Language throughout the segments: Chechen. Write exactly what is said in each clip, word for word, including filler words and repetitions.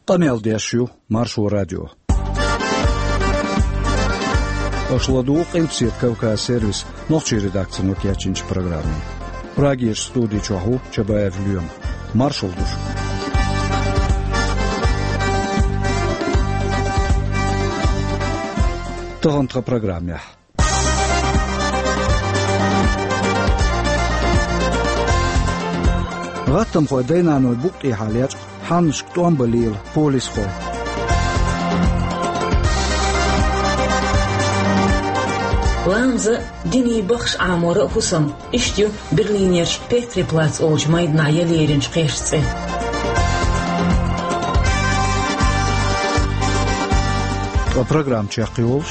Къамел деш ю Маршо радио. Аша ладугӀу Къилбаседа Кавказ сервисан нохчийн редакцино кечйинчу программе. Прагерчу студи чохь ву Чабаев Лоьма. Маршалла ду шуьга. Тахана тхан программехь. ГӀаттамхойн дай-наной букъ тӀехьа лечкъа хьаннашка тӀом бан лела полисхой. Ламаза, динан бахаш Ӏамор а хӀусам. Иштта ю Берлинерчу Петри плац олучу майданахь яла еринчу кхерчан цӀе. Ткъа программа чекхйолуш.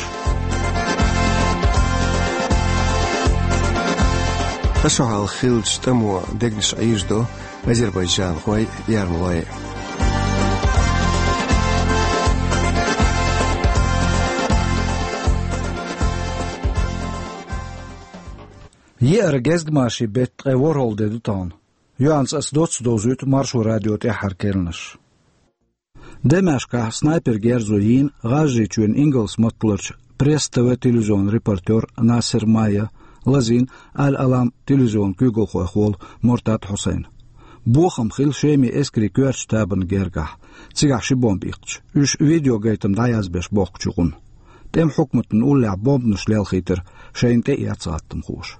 Ткъа шо хьалха хиллачу тӀамо дегнаш Ӏийжадо азербайджанхой, эрмалой. Еара гезгмашин беттан ткъе ворхӀалгӀа де ду тахана. Юьхьанца ас доцца довзуьйту Маршо радион тӀаьххьара керланаш. Дамаскехь снайпер герзо йийна ГӀажарийчоьнан ингалс матталарчу Пресс ТВ телевизионан репортер Насер Майя, лазийна Аль-Алам телевизионан куьйгалхойх волу Мортад Хьусайн. Бохам хилла Шеман эскарийн коьртачу табанан гергахь, цигахь ши бомба иккхича, уьш видеогайтам дӀаязбеш бохкучу гӀуна. ТӀеман хьукматана уллехь бомбанаш лелхийтар шайна тӀеэцна гӀаттамхоша.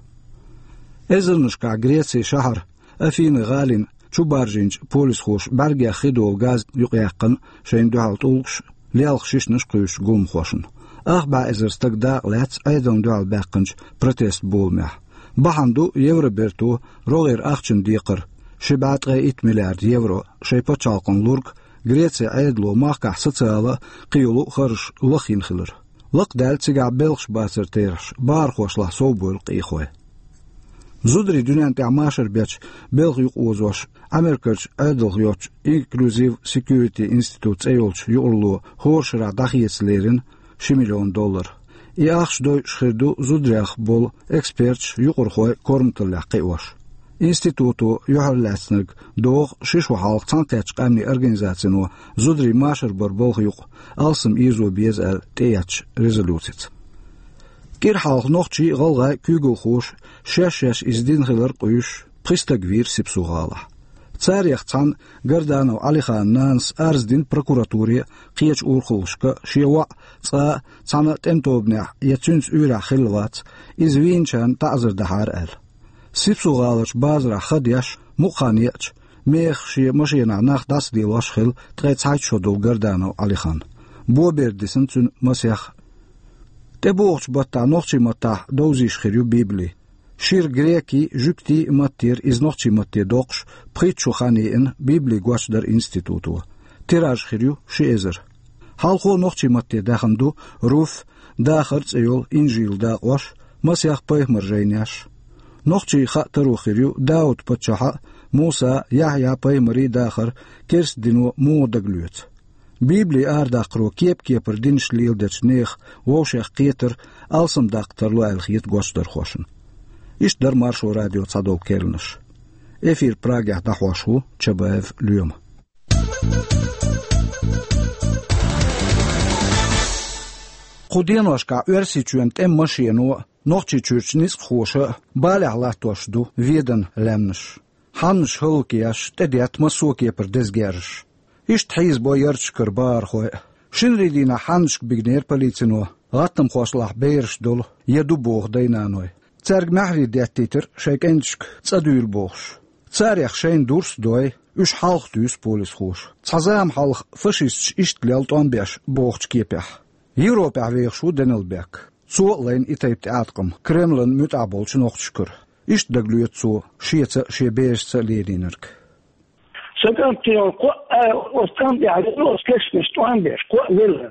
Эзарнашкахь Грецин шахьар Афины гӀалина чу баржийначу полисхоша бӀаьргех хи долу газ юкъаяьккхина шайна дуьхьал тӀулгаш, лелха шишнаш кхуьйсучу гуламхошна. Ах бӀе эзар стаг дакъа лаьцна Ӏедална дуьхьал баьккхинчу протест боламехь. Бахьана ду Евроберто рогӀера ахчанан декхар, ши бӀе ткъе итт миллиард евро, шайн пачхьалкхана лург Грецин Ӏедало махкахь социала а, кхин йолу а харжаш лахйина хилар. Лакхадаьлла цигахь белхаш бацар терахьаш, бахархошлахь совбевлла къехой. Зударий дуьнен тӀехь машар бечу белхан юкъаозош Америкерчу Ӏедалх йоцчу Inclusive Security Institute цӀе йолчу юкъаралло хӀора шарахь дӀахеца лерина ши миллион доллар. И ахча дойуш хир ду зударех болу эксперташ, юкъархой корматаллех кхиош. Институто юьхьарлаьцнарг доху ши шо хьалха Цхьаьнакхеттачу Къаьмнийн Организацино зударийн машар баран балха юкъа алсам ирзо беза аьлла тӀеэцначу резолюцица. КӀира хьалха нохчий а, гӀалгӀай а куьйгалхоша шаьш-шаьш иза дина хилар къуьйсуш, пхи стаг вийра Сипсу-ГӀалахь. Царех цхьанна, Гарданов Ӏалиханан нанас, арз дина прокуратуре а, кхечу урхаллашка а, шен воӀ цкъа а цхьана тӀеман тобанехь я цуьнца уьйрехь хилла вац, иза вийначарна таӀзар дахьара аьлла. Сипсу-ГӀаларчу базарахь хан деш, мукъа хан еъча, мехах шен машенахь нах дӀасаделош хилла ткъе цхьайтта шо долу Гарданов Ӏалихан. Бобер дисна цуьнан масех. ТӀебогӀучу баттахь нохчийн маттахь довзийша хир ю Библи. Шира грекийн, жуьгтийн а маттера, иза нохчийн матте доккхуш, пхийтта шо хан еана, Библи гочдара институто. Тираж хир ю ши эзар. Хьалхо нохчийн матте даьхна ду Руф, Дахар цӀе йолу инжилан дакъош, масех пайхамаран жайнеш. Нохчийн хаа таро хир ю Дауд-паччахьан а, Мусан, Яхьъя-пайхамарийн дахар керста дино муха дагалоьцу. Библи арадаккхаро кеп-кепара динаш леладечу нехан вовшех кхетар алсам даккха тарло аьлла хета гочдархошна. Иштта дара Маршо радион цхьадолу керланаш. Эфир Прагехь дӀахьош ву Чабаев Лоьма. Кху деношкахь Оьрсийчоьнан тӀеман машено а, Нохчийчуьрчу ницкъахоша а балехь латтош ду Веданан лаьмнаш. Хьаннаш хӀаллакъеш, тӀедетта массо а кепара деза герзаш. Иштта хьийзабо ярташкара бахархой а. Шинарин дийнахь хьаннашка бигнера полицино гӀаттамхошлахь бераш долу я ду боху дай-наной. Цаьрга маьхьарий деттийтира шайн кӀенташка цӀа дуьйла бохуш. Царех шайна дурс а дой, уьш хьалха туьйсу полисхоша. Цхьа зама хьалха фашисташа иштта лела тӀом беш бохучу кепехь. Европехь вехаш ву Данилбек. Цо а лайна и тайпа тӀеӀаткъам Кремлан муьтӀахь болчу нохчашкара. Иштта дагалоьцу цо шеца а, шен берашца а лелийнарг. Сан кӀант тӀе йолу кхоъ а, оцу кӀант тӀехь велла, оцу керстанаша тӀом беш, кхоъ а велла.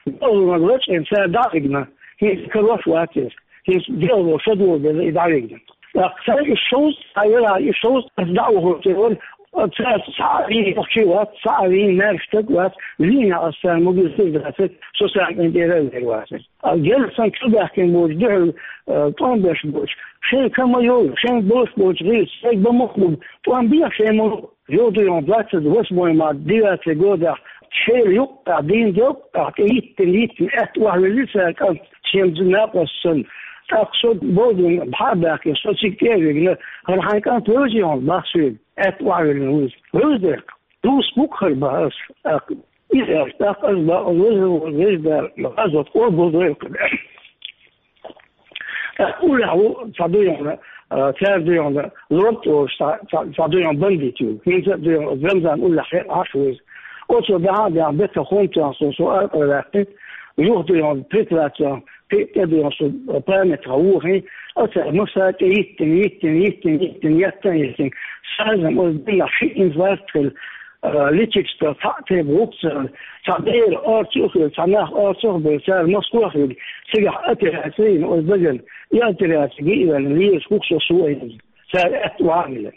Делхалониг лачкъийна, цара дӀа а вигна, хӀинца карош вац иза. ХӀинца делхало шадолу деза и дӀавигна. ТӀаккха цара и шовзткъа а велахь, и шовзткъа а дӀа а вахана тӀе вара, цара цхьа а вийна нохчи вац, цхьа а вийна маьрша стаг вац, вийна аса цара могуьзтиг дацара, со сан кӀант тӀера а вер вацара. А герз сан чубаьхкина боцу дуьхьал, а, тӀом беш боцу. Шайн ка ма йолу, шайн болуш боцу гӀирс, шайн бан мохк бу, тӀом беха шайн ма йолу. Йовду йон двадцать восьмой март, девятый годехь, Шел юккъахь, дийна делкъахь, тӀе йиттина, йиттина, аьтта охьавелли цара кӀант, шен накъост санна. ТӀаккха со бовдина, бӀаьрг баьккхина, со цига тӀе а вигна, хӀара хьайн кӀант вевзий хьуна, бах соьга, аьтта охьавеллина вуьйцу. Вевза дерг, дус бу-кх хӀара, бах ас, тӀаккха. Иза аьлча, тӀаккха ас, бах, веза, веза Дала, хьазот къобал дойла кху. ТӀаккха уллехь ву, цхьа дуй хьуна, а, цара дуй хьуна, лорд олуш, цхьа, цхьа, цхьа дуй хьуна бандит ю. ХӀинца а дуй хьуна, Рамзан уллехь хье-, хьаш ву иза. Оцо баьхьа а баьхьа, бетта хӀума тоьхна со, со аркъа ваьккхи, юха дуй хьуна, притвацо, кхин а тӀе дуй хьуна, со памятха вохи, оцара масса тӀе йиттина, йиттина, йиттина, йиттина, йиттина, йиттина. Сазам оцу дийнахь ши инфаркт хилла, а, личикста цхьаъ тайпа гӀуп ца хилла, цхьа бер орцах а хилла, цхьа нах орцах а бевлла, цара Москвах вига, цигахь операци йина оцу дагана, и операци гиъ а ваьлла, лелаш хӀух со су а йина, цара аьтта вахьа а вилла.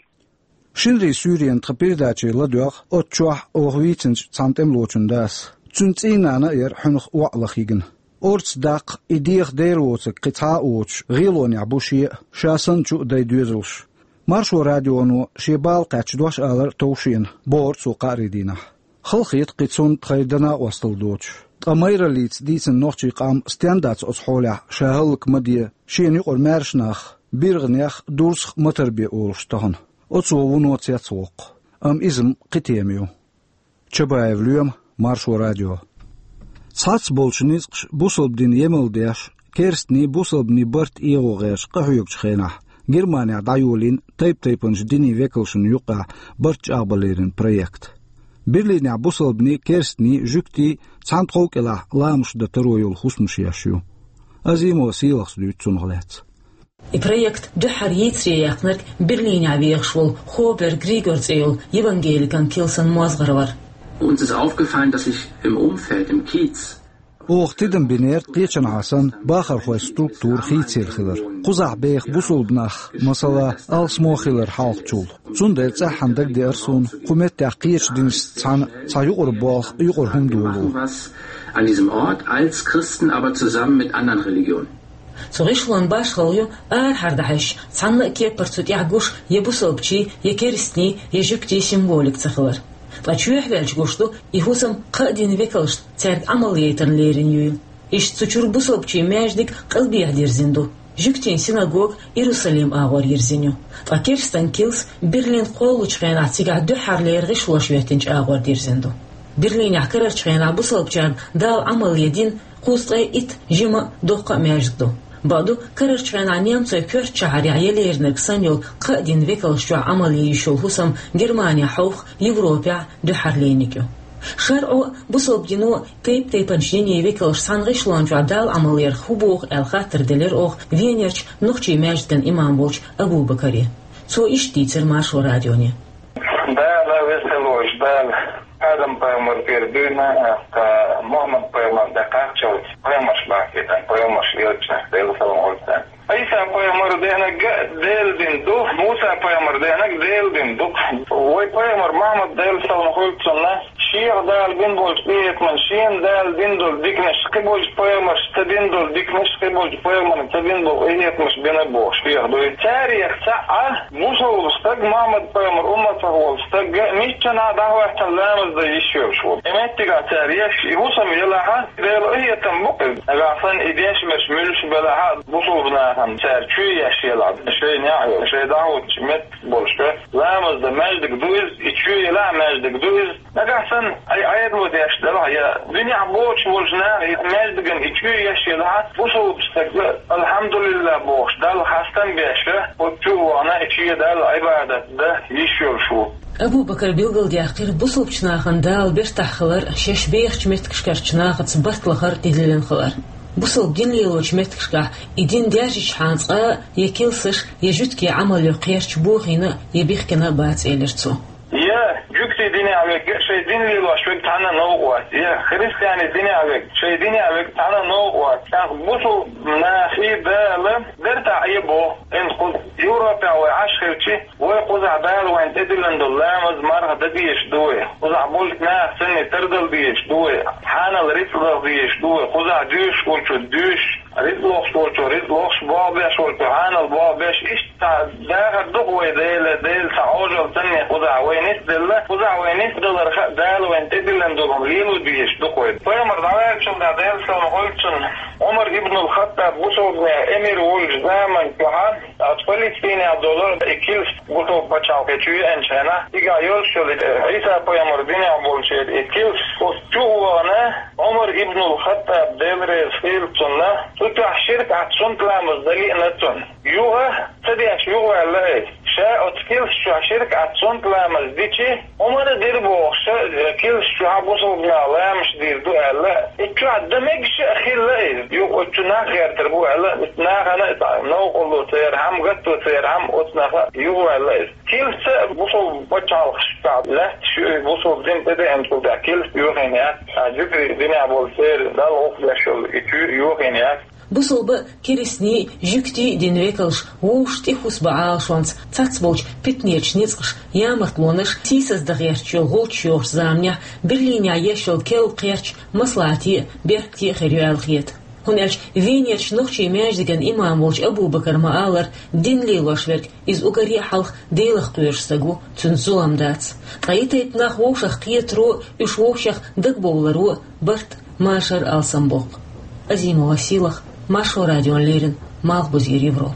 Шинарин суьйренан тхан передаче ладоьгӀна, оцу чохь оха вийцинчу цхьана тӀемалочун дас. Цуьнан цӀийнана а яра хьуьнах воӀ лаха йигна. Орца даккха и деха Дела воцург кхин цхьа а воцуш, гӀелонехь бу шен а, ша санна чу а дайн доьзалш. Маршо радионо шен бала кхаьчча дош алар а тов шена, бохура цо кхаарин дийнахь. Халахета кхин цунна тхайн дан-накъосталла доцуш. Ткъа майраллица дийцина нохчийн къам стенна дац оцу хьолехь, ша хӀаллак ма де, шена юкъара маьрша нах, биргӀанех, дурзах ма тарбе олуш тахана. Оцо вуно цецвоккху. Амма иза-м кхин тема ю. Чабаев Лоьма, Маршо радио. Цхьацца болчу ницкъаша бусалба дин емал деш, керстанийн, бусалбанийн барт эгӀо гӀерташ къахьоьгучу хенахь, Германехь дӀайолийна тайп-тайпанчу динийн векалшна юккъехь барт чӀагӀбаларан проект. Берлинехь бусалбанийн, керстанийн, жуьгтийн цхьана тхов кӀелахь ламазаш дан таро йолу хӀусамаш еш ю. Азимова Сийлахас дуьйцу цунах лаьцна. И проект дуьххьара йийцаре яьккхинарг Берлинехь вехаш волу Хобер Григор цӀе йолу евангеликан килсан мозгӀар вара. Uns ist aufgefallen, dass sich im Umfeld, im Kiez, Оха тидам бинера кхечанхьа санна бахархойн структура хийцаелла хилар. Кхузахь беха бусалба нах, масала, алсамо хилар хьалхачул. Цундела цӀеххьана дагадеара суна, кху меттехь кхечу динашца цхьаьна цхьа юкъара болх, юкъара хӀума долу. Machen was an diesem Ort als Christen, aber zusammen mit anderen Religionen. Цу гӀишлон башхалла ю арахьара дӀахьаьжча, цхьанна а кепара цу тӀехь гуш я бусалбачийн, я керстанийн, я жуьгтийн символика ца хилар. Ткъа чоьхьа ваьлча гуш ду, и хӀусам кхаа динан векалшна цаьрга Ӏамал яйтарна лерина юйла. Иштта цу чуьра бусалбачийн маьждиг къилбехьа дирзина ду. Жуьгтийн синагога Иерусалим агӀор йирзина ю. Ткъа керстан килс Берлин кхоллучу хенахь цигахь дуьххьарлера гӀишлош хӀоьттинчу агӀор дирзина ду. Берлинехь карарчу хенахь бусалбачарна Дала Ӏамал ян дина кхузткъе итт жима а, доккха а маьждиг ду. Бакъду, карарчу хенахь немцойн коьртачу шахьарехь елеринарг санна йолу кхаа динан векалш чохь Ӏамал ян йиш йолу хӀусам Германехь хьовха Европехь дуьххьарлерниг ю. ШарӀо а, бусалба дино а тайп-тайпанчу динийн векалш цхьана гӀишлон чохь Дала Ӏамал ярх хӀун боху аьлла хаттар делира оха Венерчу нохчийн маьждиган имам волчу Абу-Бакаре. Цо иштта дийцира Маршо радионе. Дала веза хила волчу Дала Адам-пайхамар тӀера дуьйна, тӀаккха Мухаммад-пайхамар дӀакхаччалц пайхамарш бахкийтина, пайхамарш элчанаш, Делан салам хуьлда царна. Ӏийса-пайхамар деанарг а Делан дин ду, Муса-пайхамар деанарг Делан дин ду. Вай пайхамар Мухаммад, Делан салам хуьлда цунна, шех Дала бина болчу къинхетаман шена Дала дина долу диканаш, кхин болчу пайхамаршна ца дина долу диканаш, кхин болчу пайхамарна ца дина болу къинхетамаш бина бохуш, шех дуй. Царех цхьаъ а бусалба стаг, Мухаммад-пайхамар умматах волу стаг а миччанхьа дӀахӀоьттина ламаз дан йиш йолуш ву. И меттигахь цара еш, и хӀусам елахь а, Делан къинхетам бу-кх иза. Нагахь санна и деш берш муьлш белахь а, бусалба нахана цара чоь еш елахь а, шайн неӀ йолуш, шайн дӀахӀуттучу меттиг болуш, ламаз дан маьждиг ду иза, и чоь елахь а маьждиг ду иза. Нагахь санна, ай, Ӏедало деш делахь а, я дуьненахь боцуш болчу наха и маьждиган и чоь еш елахь а, бусалба стаг, алхьамдулиллахӀ бохуш, Далла хастам беш, оцу чу а вахана, и чоь Далла Ӏибадат дан йиш йолуш ву. Абу-Бакара билгалдаьккхира бусалбачу нахана Дала бертахь хилар, шаьш бехачу меттигашкарчу нахаца барт лахар тӀедиллина хилар. Бусалба дин лелочу меттигашкахь и дин даьржичхьана цкъа а я килсаш, я жуьгтийн Ӏамал йо кхерча бохийна а, я бихкина а бац, элира цо. Я жуьгтийн динехь верг а, шайн дин лелош верг цхьанна а новкъа вац, я христианийн динехь верг, шайн динехь верг цхьанна а новкъа вац. ТӀаккха бусалба нахе Дала бертахь Ӏе боху, хӀинца кху Европехь вай Ӏаш хилчи, вай кхузахь Дала вайна тӀедиллина долу ламаз, марха дан дезаш ду вай. Кхузахь болчу наха санна тардала дезаш ду вай. Хьанал рицкъ даха дезаш ду вай. Кхузахь доьшуш волчо доьшуш, Ризкъ лохуш волчо ризкъ лохуш, болх беш волчо хьанал болх беш, иштта дахар ду-кх вай Дела, Дела цхьа Ӏожалла санна кхузахь вай нисделла, кхузахь вай нисдаларх а Дала вайна тӀедиллина долу лело дезаш ду-кх вай. Пайхамар дӀаваьллачул тӀаьхьа, Делан салам хуьлда цунна, Ӏумар ибн ал-Хаттаб бусалбанийн эмир волчу заман чохь а, оцу Палестинехь долу и килс бусалба пачхьалкхе чу еанчу хенахь, цигахь йолуш йолу и Ӏийса пайхамар динехь болчеран и килс, оцу чу а вахана, Ӏумар ибн ал-Хаттаб, Дела реза хуьлда цунна, цу чохь ширк Ӏа цунна ламаз дан лиъна цунна. Юха ца деш юхаваьлла иза. Ша оцу килс чохь ширк Ӏа цунна ламаз дичи, Ӏумара дира бохуш, ша килс чохь бусалба наха ламазаш дийр ду аьлла, и чохь дан мегаш а хилла иза. Юха оцу чу нах гӀертар бу аьлла, нахана а цхьа новкъарло ца ярхьама, гатто ца ярхьама, оцу наха юхаваьлла иза. Килс а бусалба пачхьалкхашкахь лаьтташ ю, бусалба дин тӀедеанчул тӀаьхьа килс йохийна яц, а жуьгтий динехь болу церан Далла гӀуллакх деш йолу и чу йохийна яц. Бусалба а, керстаний а, жуьгтий а динан векалш вовшашна тӀехӀусбан Ӏалашонца цхьацца болчу питанечу ницкъаша, ямартлонаш, сийсаздан гӀерташ йолу гӀулчаш йохучу заманехь Берлинехь еш йолу керла кхерч маслаӀате а, беркате а хир ю аьлла хета. ХӀунда аьлча Венерчу нохчийн маьждиган имам волчу Абу-Бакара ма-аллара, дин лелош верг иза уггаре а хьалха Делах кхоьруш стаг ву, цуьнца зулам дац. Ткъа и тайпа нах вовшах кхетаро а, уьш вовшех дагабовларо а барт, машар алсамбоккху. Азимова Сийлаха, Маршо радиона леррина, Малхбузера Европа.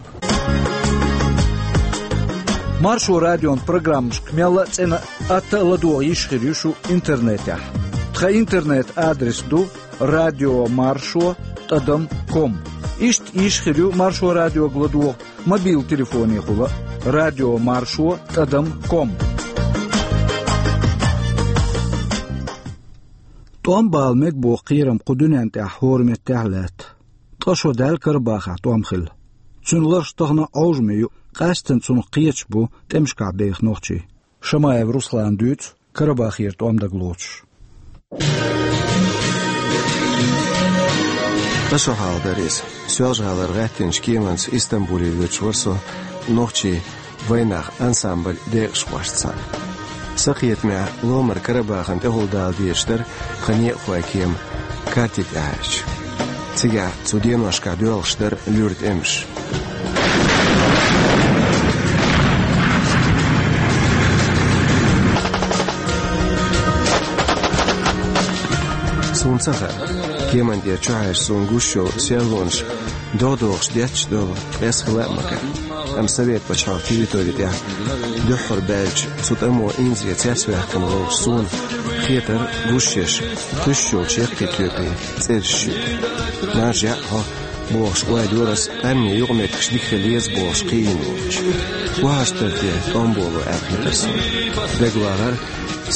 Маршо радион программашка мелла а цӀена а, атта а ладогӀа йиш хир ю шу интернетехь. Тхан интернет-адрес ду радио маршо тӀадам ком. Иштта йиш хир ю Маршо радиога ладогӀа мобил телефонехула а, радио маршо тӀадам ком. ТӀом бала мега боху кхерам кху дуьнен тӀехь хӀора меттехь а лаьтта. Ткъа шо даьлла Карабахехь тӀом хилла. Цуьнан ларш тахана а Ӏовжаме ю, къаьсттина цунах кхеташ бу тӀемашкахь беха нохчий. Шамаев Руслана дуьйцу Карабахера тӀом дагалоцуш. Ткъа шо хьалха дара иза. Соьлжа-ГӀалара гӀаьттинчу кеманца Истамбуле воьдуш вара со нохчийн вайнах ансамбль декъашхошца цхьаьна. Сан кхетамехь, Ломара Карабахана тӀехула дала дезаш дара тхан некъахойн кема карти тӀехь аьлча. Цигахь цу деношкахь доьлхуш дара луьра тӀемаш. Суна ца хаьа, кеман тӀера чухьаьжча суна гуш йолу серлонаш догӀа-догӀуш детташ долу, эс хила а ма карий. Амма Совет пачхьалкхан территори тӀехь дуьххьара баьллачу цу тӀамо инзаре цецваьккхина волуш суна хетара гуш еш, кхуьссуш йолчу яккхий тоьпийн цӀераш шуьга. Маржа яӀ хьо, бохуш ойла йора ас, къаьмнийн юкъаметтигаш дика хила еза бохуш кхиийна волчу. Охьаштар те тӀом боло аьлла хетара суна. ДегавагӀара,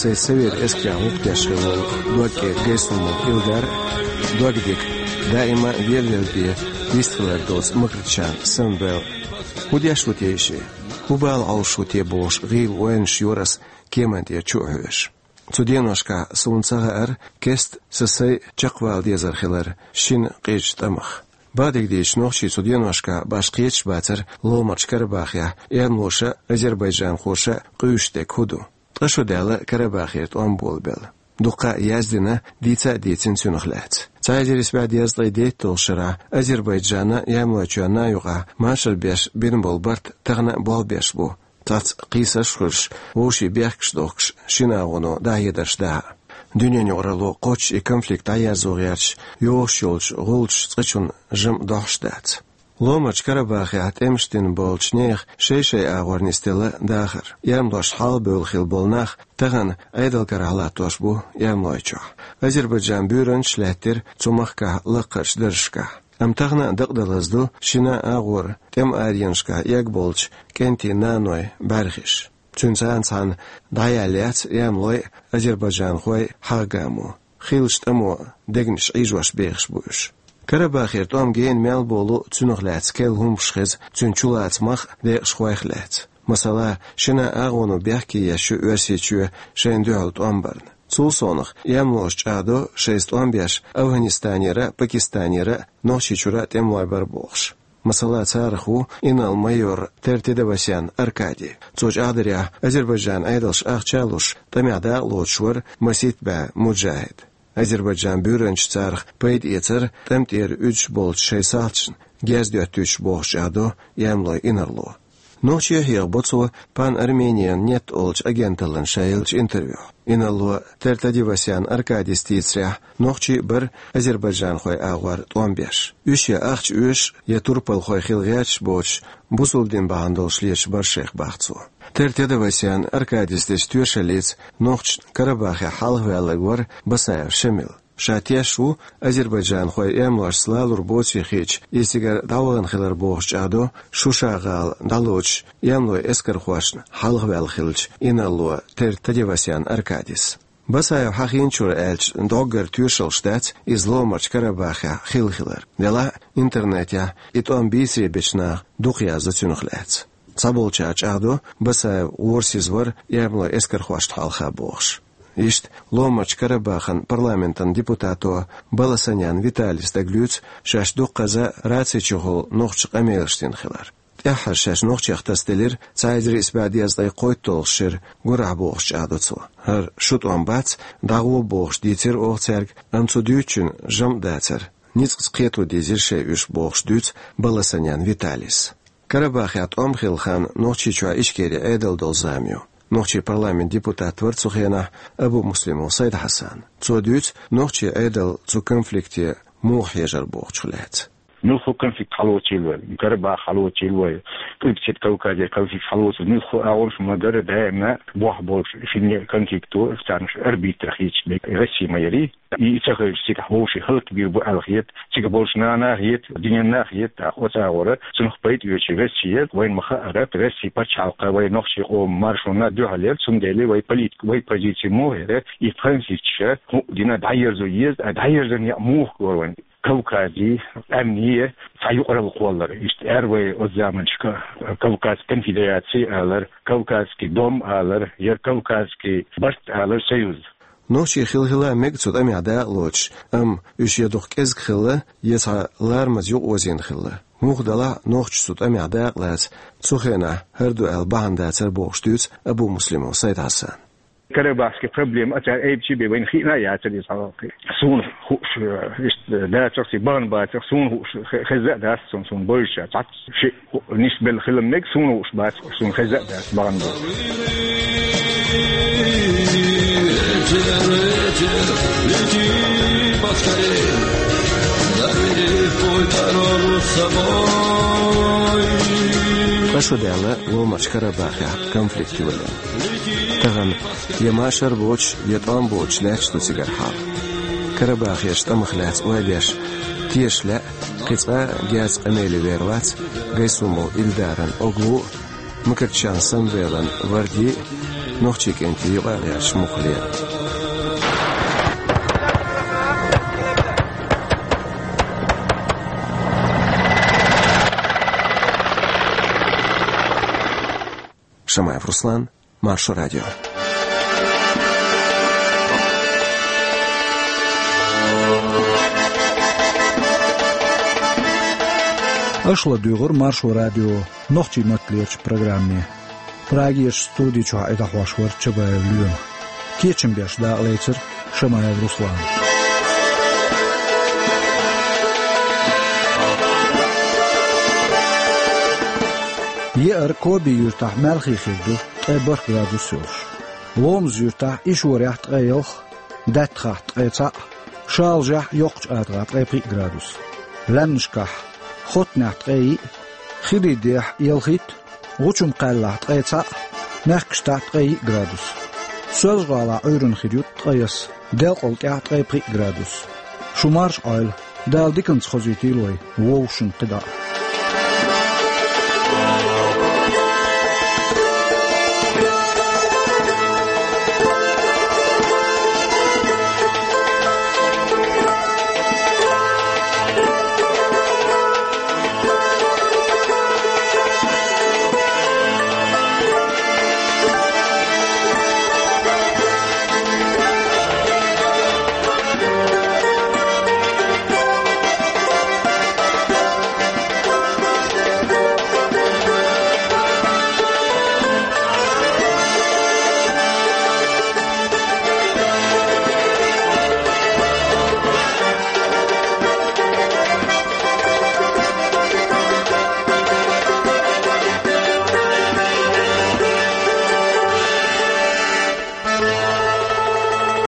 сайца совет эскарехь гӀуллакх деш хилла волу Догкеган Гайсумов Илдар а, Догдика, даима а велавелла бен вистхилар доцу Макритчан Самвел. ХӀун деш ву те и шиъ? ХӀун бала Ӏовлуш ву те бохуш гӀийла ойланаш йора ас кеман тӀера чу а хьоьжуш. Цу деношкахь суна ца хаьара кеста сан сайн чекхвала дезар хилар шина къизачу тӀамах. Бакъдерг дийцича, нохчий цу деношкахь башха кхеташ бацара Ломарчу Карабахехь эрмалоша а, азербайджанхоша а къуьйсуш дерг хӀун ду. Ткъа шо даьлла Карабахера тӀом болабелла. Дуккха а яздина, дийца а дийцина цуьнах лаьцна. Цхьа эзар исс бӀе дезткъе дейтталгӀачу шарахь Азербайджанан а, Ямлойчоьнан а юкъахь машар беш бина болу барт тахана а болх беш бу. Цхьацца кхийсаш а хуьлуш, вовшийн бехкаш дохкуш, шина агӀоно дӀахьедарш дахьа. Дуьненан юкъаралло кхоччуш и конфликт дӀаерзо гӀерташ, йогӀуш йолчу гӀулчаш цкъачунна жимма дохьуш дац. Ломарчу Карабахехь тӀемаш дина болчу нехан шай-шайн агӀор нисделла дахар. Эрмалошца хьалха бевлла хилла болу нах тахана Ӏедалан карахь латтош бу Ямлойчохь. Азербайджан буьйранчаш лаьттира цу махкахь лакхарчу даржашкахь. Амма тахана а дакъа далаза ду шина а агӀор тӀеман аренашкахь эгна болчу кӀентийн нанойн бӀаьрхиш. Цуьнца цхьаьна дӀаяьлла яц Ямлой а, азербайджанхой а хьагӀ-гамо. Хиллачу тӀамо дегнаш Ӏийжош бехаш бу уьш. Карабахера тӀом гена мел болу, цуьнах лаьцна керла хӀуманаш хеза, цуьнан чулацамах а, декъашхойх а лаьцна. Масала, шина а агӀоно бехке еш ю Оьрсийчоь шайна дуьхьал тӀом барна. Цул совнаха, Ямлоша чӀагӀдо шайца тӀом беш Афганистанера а, Пакистанера а, Нохчийчуьра а тӀемалой бара бохуш. Масала, царах ву инарла-майор Тертедовасян Аркадий. Цо чӀагӀдарехь, Азербайджанан Ӏедалша ахча а луш, тӀамехь дакъа лоцуш вара масийтта бӀе муджахӀид. Азербайджан буьйранчаш царах пайда эцар тӀам тӀера уьдуш болчу шайн салташна гез доьттуьйтуш бохуш чӀагӀдо Ямлой Инарло. Нохчий хьехабо цо Пан-Армениан нет олучу агенталлина ша еллачу интервьюхь. Инарло Тертадевасян Аркадис дийцарехь, нохчий а бара азербайджанхойн агӀор тӀом беш. Уьш я ахча оьшуш, я турпалхой хила гӀерташ боцуш, бусалба дин бахьана долуш леташ бара шайх, бах цо. Тертадевасян Аркадис дечу тоьшаллица нохчашна Карабахехь хьалхаваьлларг вара Басаев Шамил. Ша теш ву азербайджанхой эмлошца лалур боций хиъча, иза цигара дӀавахана хилар бохуш чӀагӀдо Шуша-гӀала дӀалоцуш эмлойн эскархошна хьалхаваьлла хиллачу Инарло Тертадевасян Аркадис. Басаев хьахийначуьра аьлча, доггара тоьшаллаш дац иза Ломарчу Карабахехь хилла хилар. Делахь а интернетехь и тӀом бийцаре бечу наха дукха яздо цуьнах лаьцна. Цхьаболчара чӀагӀдо, Басаев гӀорасиз вара эмлойн эскархошна хьалха бохуш. Иштта, Ломарчу Карабахан парламентан депутато Баласанян Виталис дагалуьйцу шаьш дуккхаза рацийчухула нохчийн къамелаш дина хилар. ТӀаьххьара шаьш нохчех тасаделира цхьа эзар исс бӀе дезткъе кхойтталгӀачу шеран гурахь, бохуш чӀагӀдо цо. ХӀара шун тӀом бац, дӀагӀо бохуш дийцира оха цаьрга, амма цу дуьйцучун жамӀ дацара. Ницкъаца кхето дезира шайн уьш, бохуш дуьйцу Баласанян Виталис. Карабахехь тӀом хилла хан Нохчийчохь Ичкерин Ӏедал долу зама ю. Нохчийн парламентан депутат вара цу хенахь Абумуслимов Сайд-Хьасан. Цо дуьйцу нохчийн Ӏедал цу конфликте муха хьежар бохучух лаьцна. Муьлхха конфликт хьалоцийла вай, Карабах хьалоцийла вай, Къилбаседа Кавказе конфликт хьалоцийла, муьлхха агӀонаш ма дара, даимна бохь болуш шинне конфликто царнаш арбитра хийцаш бен Россия ма ярий. И ца хилча, цигахь вовшийн хӀаллакбийр бу аьлла хета, цига болчу нана а хета, дуьненна а хета, тӀаккха оцу агӀора цунах пайда оьцуш Россия, вайна ма хаъара, Россия пачхьалкх вай нохчийн къоман маршонна дуьхьал яра, цундела вай политика, вай позиция муха яра, и конфликташ хӀуъа дина дӀаерзо еза, а дӀаерзан яа муха лора вайн Кавказе, къаьмнийн цхьа юкъаралла кхоллар. Иштта аьлла вай оцу заманчохь Кавказ конфедерация алар, Кавказский дом алар, я Кавказский барт алар, союз. Нохчий хила-хила мега цу тӀамехь дакъа лоцуш, амма уьш я дукха кӀезиг хилла, я цхьа ларамаза юкъаозийна хилла. Муха делахь а, нохчаша цу тӀамехь дакъа лаца цу хенахь хӀара ду аьлла бахьана дацара бохуш дуьйцу Абумуслимов Сайд-Хьасан. Карабахский проблема а цара айбичи бен вайна хиъна а яцара иза хьалхе. Суна хууш, э, иштта дацара, и бахьана бацара, суна хууш хе-, хезна а дац, суна, суна бовзуш цхьацца шиъ нисбелла хила мега, суна хууш бац, суна хезна а дац бахьана бу. Ткъа шо даьлла Ломарчу Карабахехь конфликт йолийна. Тахана я машар боцуш, я тӀом боцуш лаьтташ ду цигара хьал. Карабахерчу тӀамах лаьцна ойла еш, теша лаьа, кхин цкъа а герз къамеле вер вац Гайсумов Илдаран Оглу а, Мукачан Самвелан Варди а, нохчийн кӀентий юкъа а гӀерташ муххале а. Шамаев Руслан, Маршо радио. Аша ладуьйгӀура Маршо радион нохчийн матталерчу программе. Прагерчу студи чохь и дӀахьош вара Чабаев Лоьма. Кечам беш дакъалецира Шамаев Руслана. Еара Коби юьртахь маьлхе хир ду, ткъе бархӀ градус йолуш. Ломза юьртахь, Ишорехь ткъе ялх, Даттахахь ткъе цхьаъ, Шалажехь, Йоккхачу АтагӀахь ткъе пхиъ градус. Лаьмнашкахь, Хоттанехь ткъе йиъ, Хирийдехь ялхитта, ГӀучум-Кхаьллахь ткъе цхьаъ, Мехкаштахь ткъе йиъ градус. Соьлжа-ГӀалахь Ӏуьйранна хир ю ткъе ялх, Делкъал тӀехь ткъе пхиъ градус. Шу марша Ӏойла, Дала диканца хозуьйтийла вай вовшашна кхидӀа а.